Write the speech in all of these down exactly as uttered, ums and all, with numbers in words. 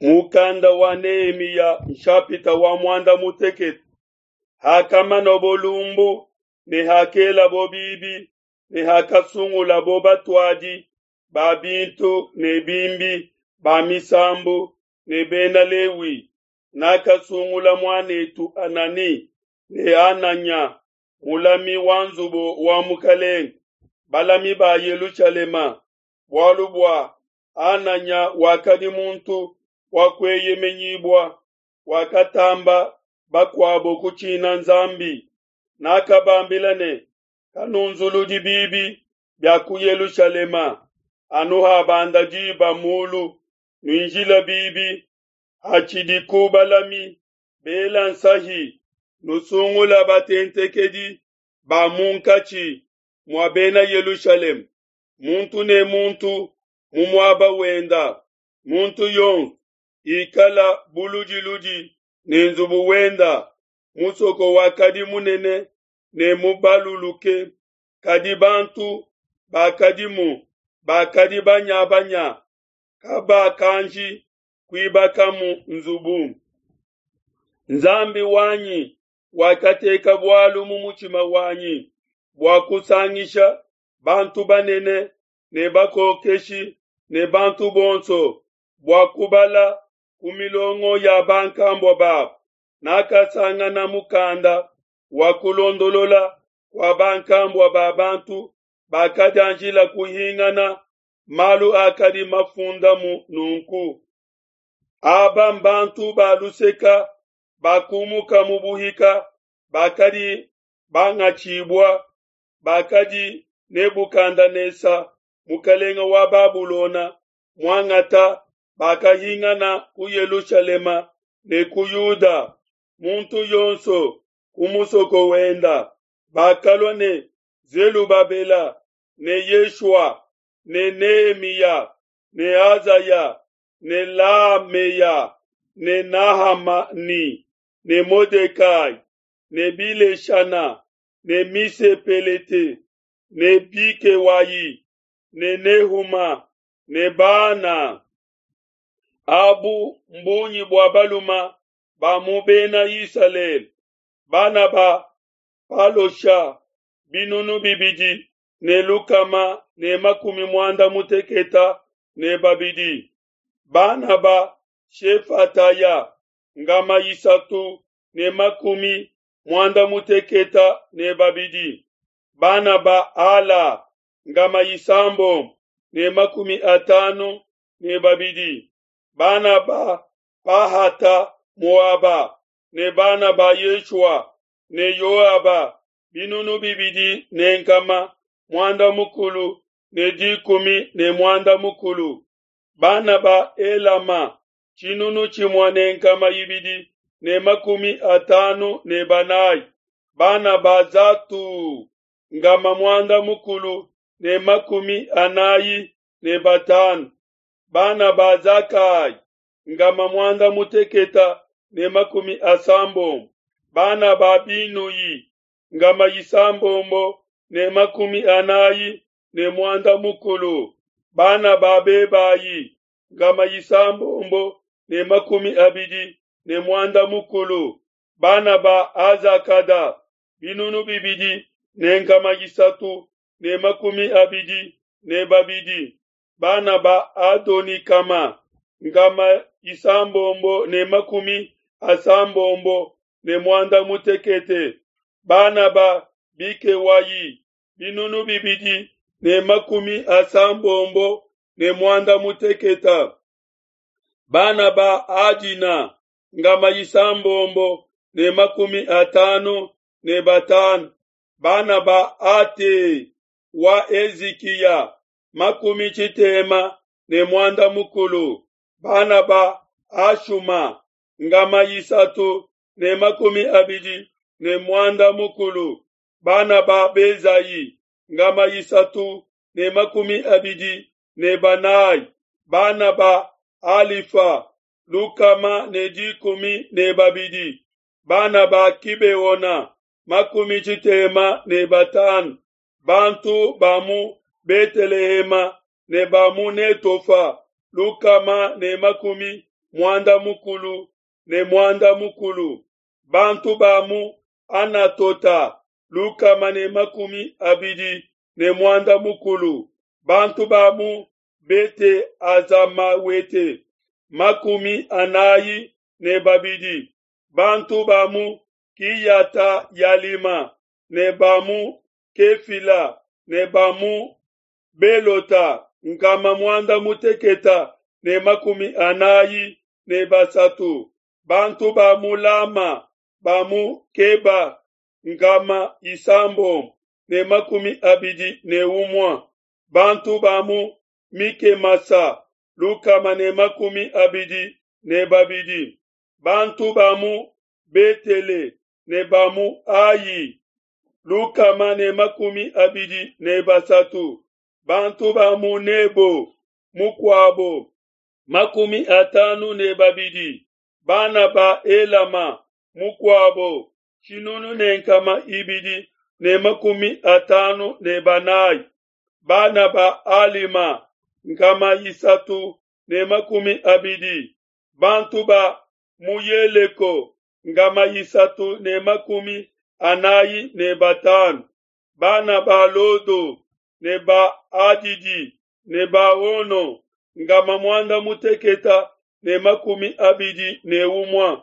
Mukanda wa Nehemiya nshapita wa muanda mutekete. Hakamanabo lumbu ne hakelabo bibi ne hakasungulabo batuadi ba bintu ne bimbi ba misambu ne Bena Lewi, nakasungula muan'etu Hanani ne Hananya mulami wa nzubu wa mukelenge, balami ba Yelushalema, bualu bua Hananya wakadi muntu wa kueyemenyibua, wakatamba bakuabo kutshina Nzambi. Nakabambila ne, Kanunzuludi bibi bia ku Yelushalema anu habanda diba mulu, nuinjile bibi hatshidiku balami bela nsahi, nusungula batentekedi ba munkatshi mua Bena Yelushalema, muntu ne muntu mu muaba wenda, muntu yonso ikala buludiludi ne nzubu wenda. Musoko wakadi munene ne mubaluluke, kadi bantu bakadimu bakadi banyabanya, kabakanji kuibakamu nzubu. Nzambi wanyi wakateka bualu mu mutshima wanyi bua kusangisha bantu banene ne bakokeshi ne bantu bonso bua kubala ku milongo ya bankambua babo. Nakasangana mukanda wa kulondolola kua bankambua ba bantu bakadianjila kuhingana, malu akadi mafundamu nunku: Aba mbantu ba luseka bakumuka mu buhika, bakadi bangatshibua, bakadi Nebukadenesa mukelenge wa Babulona muangata, bakahingana ku Yelushalema ne ku Yuda, muntu yonso ku musoko wenda. Bakalua ne Zelubabela ne Yeshua ne Nehemiya ne Azaya ne Lameya ne Nahamani ne Modekai ne Bileshana ne Misepelete ne Bikewayi ne Nehuma ne Bana. Abu mbungi bua baluma ba mu Bena Isalele, bana ba Palosha binunu bibidi ne lukama ne makumi muanda muteketa ne babidi, bana ba Shefataya ngama isatu ne makumi muanda muteketa ne babidi, bana ba Ala ngama isambombo ne makumi atanu ne babidi, bana ba Pahata Moaba ne bana ba Yeshua ne Yoaba binunu bibidi ne nkama muanda mukulu ne dikumi ne muanda mukulu, bana ba Elama tshinunu tshimue ne nkama ibidi ne makumi atanu ne banayi, bana ba Zatu ngama muanda mukulu ne makumi anayi ne batanu, bana ba Zakai ngama muanda muteketa ne makumi asambombo, bana ba Binuyi ngama isambombo ne makumi anayi ne muanda mukulu, bana ba Bebayi ngama isambombo ne makumi abidi ne muanda mukulu, bana ba Azakada binunu bibidi ne nkama isatu ne makumi abidi ne babidi, bana ba Adonikama ngama isambombo ne makumi asambombo ne muanda mutekete, bana ba Bikewayi binunu bibidi ne makumi asambombo ne muanda muteketa, bana ba Adina ngama isambombo ne makumi atanu ne batanu, bana ba Ate wa Ezikiya makumi tshitema ne muanda mukulu, bana ba Ashuma ngama isatu ne makumi abidi ne muanda mukulu, bana ba Bezayi ngama isatu ne makumi abidi ne banayi, bana ba Alifa lukama ne dikumi ne babidi, bana ba Kibeona makumi tshitema ne batanu, bantu ba mu Betelehema ne ba mu Netofa lukama ne makumi muanda mukulu ne muanda mukulu. Bantu ba mu Anatota lukama ne makumi abidi ne muanda mukulu. Bantu ba mu Bete Azamawete makumi anayi ne babidi. Bantu ba mu Kiyata Yalima ne ba mu Kefila ne ba mu Belota nkama muanda muteketa ne makumi anayi ne basatu. Bantu ba mu Lama ba mu Keba nkama isambombo ne makumi abidi ne umue. Bantu ba mu Mikemasa lukama ne makumi abidi ne babidi. Bantu ba mu Betele ne ba mu Ayi lukama ne makumi abidi ne basatu. Bantu ba mu Nebo mukuabo makumi atanu ne babidi. Bana ba Elama mukuabo tshinunu ne nkama ibidi ne makumi atanu ne banayi. Bana ba Alima nkama isatu ne makumi abidi. Bantu ba mu Yeleko nkama isatu ne makumi anayi ne batanu. Bana ba Lodo ne ba Adidi ne ba Ono nkama muanda muteketa ne makumi abidi ne umue.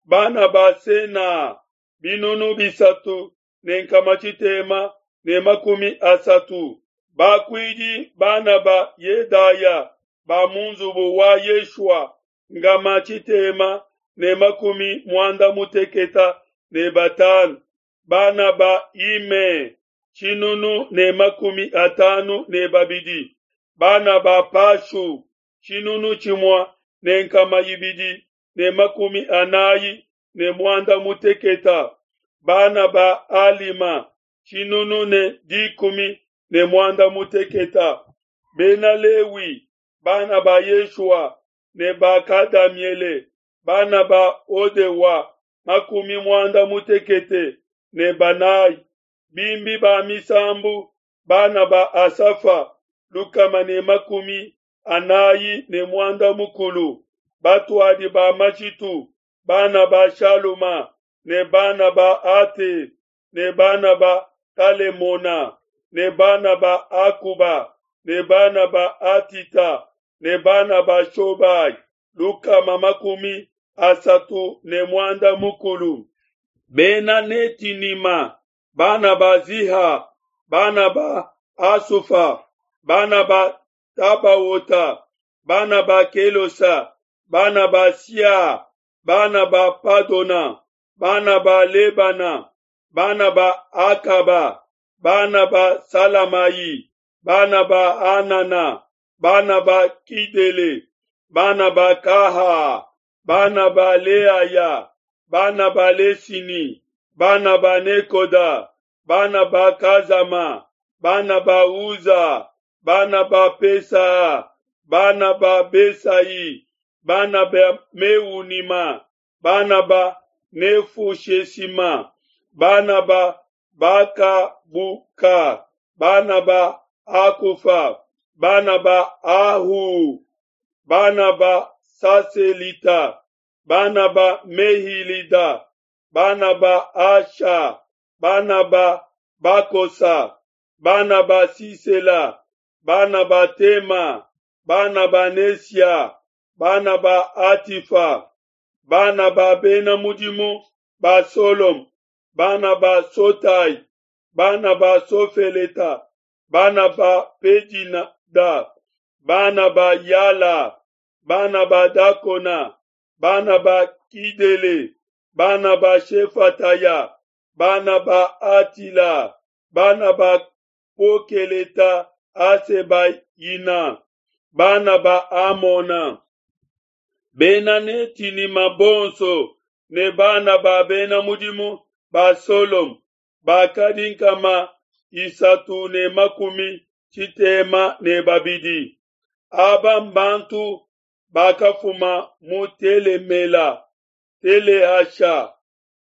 Bana ba Sena binunu bisatu ne nkama tshitema ne makumi asatu. Bakuidi bana ba Yedaya ba mu nzubu wa Yeshua nkama tshitema ne makumi muanda muteketa ne batanu. Bana ba Ime tshinunu ne makumi atanu ne babidi. Bana ba Pashu tshinunu tshimue ne nkama ibidi ne makumi anayi ne muanda muteketa. Bana ba Alima tshinunu ne dikumi ne muanda muteketa. Bena Lewi bana ba Yeshua ne ba Kadamiele bana ba Odewa makumi muanda mutekete ne banayi. Bimbi ba misambu bana ba Asafa lukama ne makumi anayi ne muanda mukulu. Batuadi ba majitu bana ba Shaluma ne bana ba Ate ne bana ba Talemona ne bana ba Akuba ne bana ba Atita ne bana ba Shobai lukama makumi asatu ne muanda mukulu. Bena Netinima bana ba Ziha bana ba Asufa bana ba Tabaota bana ba Kelosa bana ba Sia bana ba Padona bana ba Lebana bana ba Akaba bana ba Salamayi bana ba Anana bana ba Kidele bana ba Kaha bana ba Leaya bana ba Lesini bana ba Nekoda bana ba Kazama bana ba Uza bana ba Pesa bana ba Besai bana ba Meunima bana ba Nefushesima bana ba Bakabuka bana ba Akufa bana ba Ahu bana ba Saselita bana ba Mehilida bana ba Asha bana ba Bakosa bana ba Sisela bana ba Tema bana ba Nesia bana ba Atifa bana ba Bena Mudimu ba Solom bana ba Sotai bana ba Sofeleta bana ba Pedinada bana ba Yala bana ba Dakona bana ba Kidele bana ba Shefataya bana ba Atila bana ba Pokeleta Asebayina bana ba Amona Bena Netinima bonso ne bana ba Bena Mudimu ba Solom bakadi nkama isatu ne makumi tshitema ne babidi. Aba mbantu bakafuma mu Telemela, Telehasha,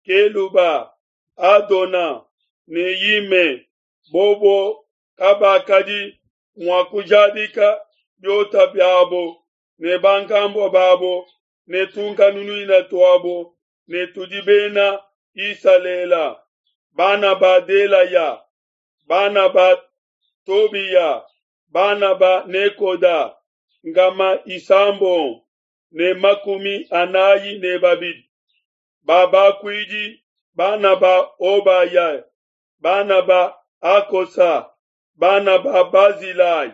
Keluba, Adona ne Yime. Bobo kabakadi mua kujadika biota biabo ne bankambua babo ne tunkanunuina tuabo ne tudi Bena Isalele. Bana ba Delaya, bana ba Tobiya, bana ba Nekoda, nkama isambombo ne makumi anayi ne babidi. Ba bakuidi, bana ba Obaya, bana ba Akosa, bana ba Bazilai,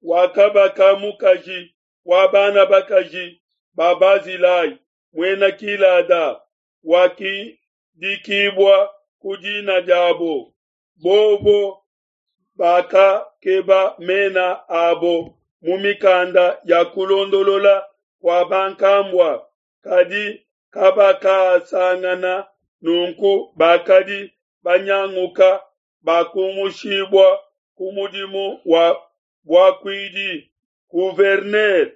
wakabaka mukaji wa bana bakaji ba Bazilai, muena Gilada, wakidikibua ku dina diabo. Bobo bakakeba mena abo mu mikanda ya kulondolola kua bankambua, kadi kabakasangana nunku bakadi banyanguka bakumushibua ku mudimu wa buakuidi. Gouverneur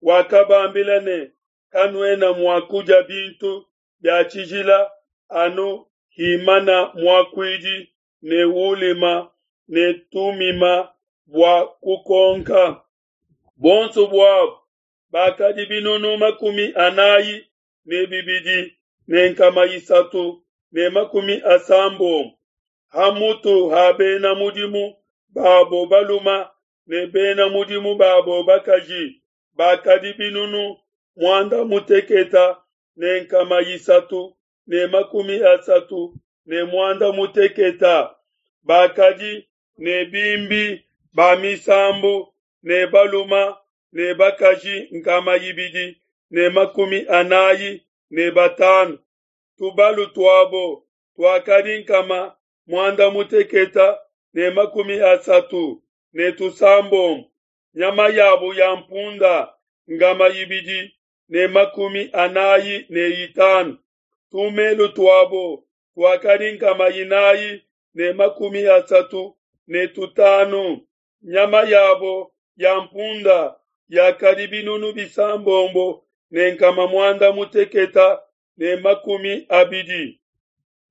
wakabambila ne, Kanuena mua kudia bintu bia tshijila anu himana muakuidi ne Ulima ne Tumima bua kukonka. Buonso buabo bakadi binunu makumi anayi ne bibidi ne nkama isatu ne makumi asambombo. Ha mutu ha bena mudimu babo balume ne bena mudimu babo bakaji bakadi binunu muanda mutekete ne nkama isatu ne makumi asatu ne muanda mutekete. Bakadi ne bimbi ba misambu ne balume ne bakaji nkama ibidi ne makumi anayi ne batanu. Tubalu tuabo tuakadi nkama muanda mutekete ne makumi asatu ne tusambombo. Nyama yabo ya mpunda nkama ibidi ne makumi anayi ne itanu. Tumelu tuabo tuakadi nkama inayi ne makumi asatu ne tutanu. Nyama yabo ya mpunda yakadi binunu bisambombo ne nkama muanda mutekete ne makumi abidi.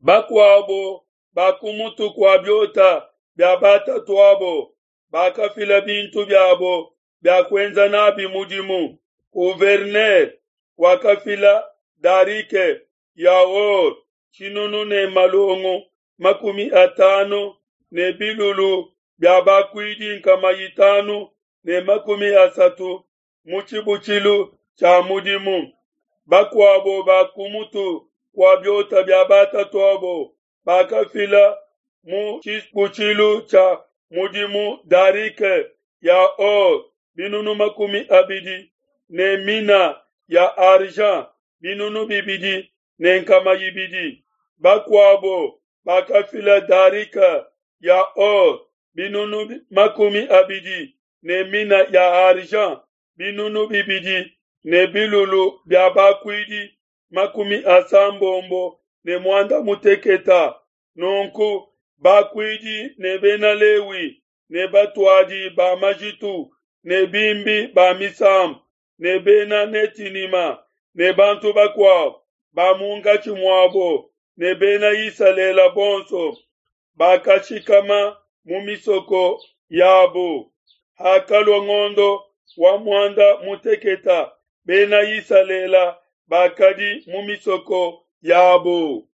Bakuabo ba ku mutu kua biota bia batatuabo bakafila bintu biabo bia kuenza nabi mudimu. Gouverneur wakafila darike ya or tshinunu ne malongo makumi atanu ne bilulu bia bakuidi nkama itanu ne makumi asatu mu tshibutshilu tshia mudimu. Bakuabo ba ku mutu kua biota bia batatuabo bakafila mu tshibutshilu tshia mudimu darike ya or binunu makumi abidi ne mina ya argent binunu bibidi ne nkama ibidi. Bakuabo bakafila darike ya or binunu makumi abidi ne mina ya argent binunu bibidi ne bilulu bia bakuidi makumi asambombo ne muanda mutekete. Nunku bakuidi ne bena Lewi ne batuadi ba majitu ne bimbi ba misambu ne bena Netinima ne bantu bakuabo ba munkatshi muabo ne bena Isalele bonso bakashikama mu misoko yabo. Hakalua ngondo wa muanda mutekete, bena Isalele bakadi mu misoko yabo.